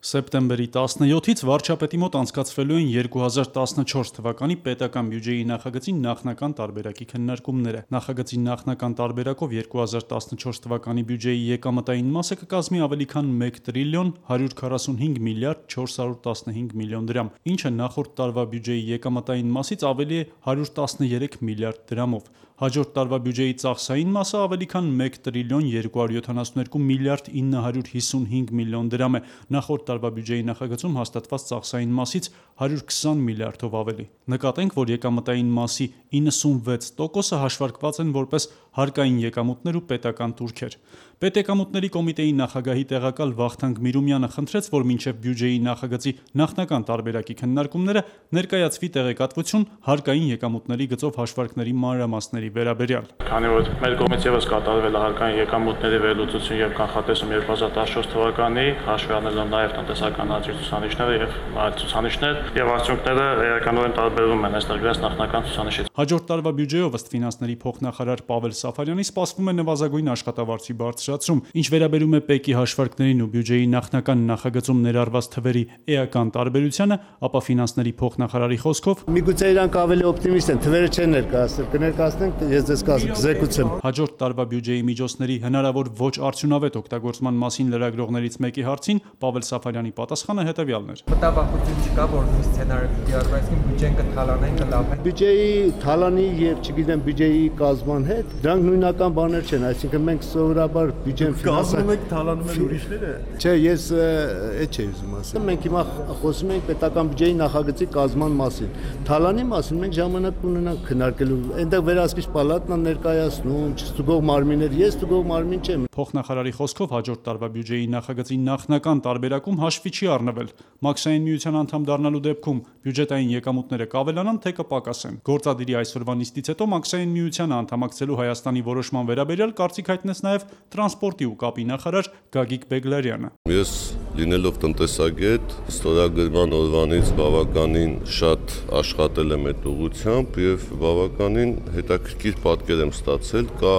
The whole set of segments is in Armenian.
Սեպտեմբերի 17-ից վարչապետի մոտ անցկացվելու են 2014 թվականի պետական բյուջեի նախագծի նախնական տարբերակի քննարկումները։ Նախագծի նախնական տարբերակով 2014 թվականի բյուջեի եկամտային մասը կկազմի ավելի քան 1 տրիլիոն 145 միլիարդ 415 միլիոն դրամ, ինչը նախորդ տարվա բյուջեի եկամտային մասից ավելի է 113 միլիարդ դրամով։ Հաջորդ տարվա բյուջեի ծախսային մասը ավելի քան 1 տրիլիոն 272 միլիարդ 955 միլիոն դրամ է, նախորդ տարվա բյուջեի նախագծում հաստատված ծախսային մասից 120 միլիարդով ավելի։ Նկատենք, որ եկամտային մասի 96%-ը հաշվարկված են որպես հարկային եկամուտներ ու պետական տուրքեր։ Պետեկամուտների կոմիտեի նախագահի տեղակալ Վախթանգ Միրումյանը խնդրեց, որ մինչև բյուջեի նախագծի նախնական տարբերակի քննարկումները ներկայացվի տեղեկատվություն հարկային եկամուտների գծով հաշվարկների մանրամասների վերաբերյալ։ Քանի որ մեր կողմից ևս կատարվել է հարկային եկամուտների վերլուծություն եւ կանխատեսում 2014 թվականի, հաշվի առնելով նաեւ տնտեսական աճի ցուցանիշները եւ այլ ցուցանիշներ, եւ արդյունքները էականորեն տարբերվում են այստեղ գրած նախնական ցուցանիշից։ Հաջորդ տարվա բյուջեով ըստ ֆինանսների փոխնախարար Պավել Սաֆարյանի սպասվում է նվազագույն աշխատավարձի բարձրացում, ինչ վերաբերում է ՊԵԿ-ի հաշվարկներին ու բյուջեի նախնական նախագծում ներառված թվերի էական տարբերությանը, ապա ֆինանսների փոխնախարարի խոսքով միգուցե իրանք ավելի օպտիմիստ են, թվերը չեն ներկայացնել, կներկայացնենք, ես ձեզ կզեկուցեմ։ Հաջորդ տարվա բյուջեի միջոցների հնարավոր ոչ արդյունավետ օգտագործման մասին լրագրողներից մեկի հարցին Պավել Սաֆարյանի պատասխանը հետևյալն էր։ Մտավախություն չկա, որ նույն սցենարը պիտի արվեցին բյուջեն կթալանեն, կլավեն։ Բյուջեի թալանի եւ չգիտեմ բյուջեի կազմման հետ դրանք նույնական բաներ չեն, այսինքն մենք սովորաբար բյուջեն կազմում ենք թալանում են ուրիշները։ Չէ, ես այդ չէի ուզում ասել։ Մենք հիմա խոսում ենք պետական բյուջեի նախագծի կազմման մասին։ Թալանի մասին մենք ժամանակ կունենանք քննարկելու։ Այնտեղ վերահսկիչ պալատն է ներկայացնում, չստուգող մարմիններ, ես ստուգող մարմին չեմ։ Փոխնախարարի խոսքով հաջորդ տարվա բյուջեի նախագծի նախնական տարբերակում հաշվի չի առնվել Մաքսային միության անդամ դառնալու դեպքում բյուջետային եկամուտները կավելանան, թե կպակասեն։ Գործադիրի այսօրվա նիստից հետո Մաքսային միությանը անդամակցելու Հայաստանի որոշման վերաբերյալ կարծիք հայտնեց նաև տրանսպորտի ու կապի նախարար Գագիկ Բեգլարյանը։ Ես լինելով տնտեսագետ, ստորագրման օրվանից բավականին շատ աշխատել եմ այդ ուղղությամբ եւ բավականին հետաքրքիր պատկեր եմ ստացել, կա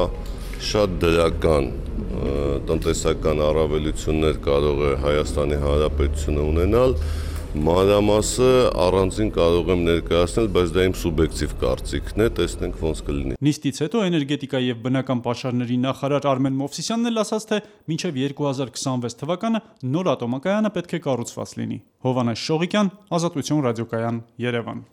շատ դրական տնտեսական առավելություններ կարող է Հայաստանի Հանրապետությունը ունենալ, մանրամասը առանձին կարող եմ ներկայացնել, բայց դա իմ սուբյեկտիվ կարծիքն է, տեսնենք ոնց կլինի։ Նիստից հետո էներգետիկայի եւ բնական պաշարների նախարար Արմեն Մովսիսյանն էլ ասաց, թե մինչև 2026 թվականը նոր ատոմակայանը պետք է կառուցված լինի։ Հովհաննես Շողիկյան, Ազատություն ռադիոկայան, Երևան։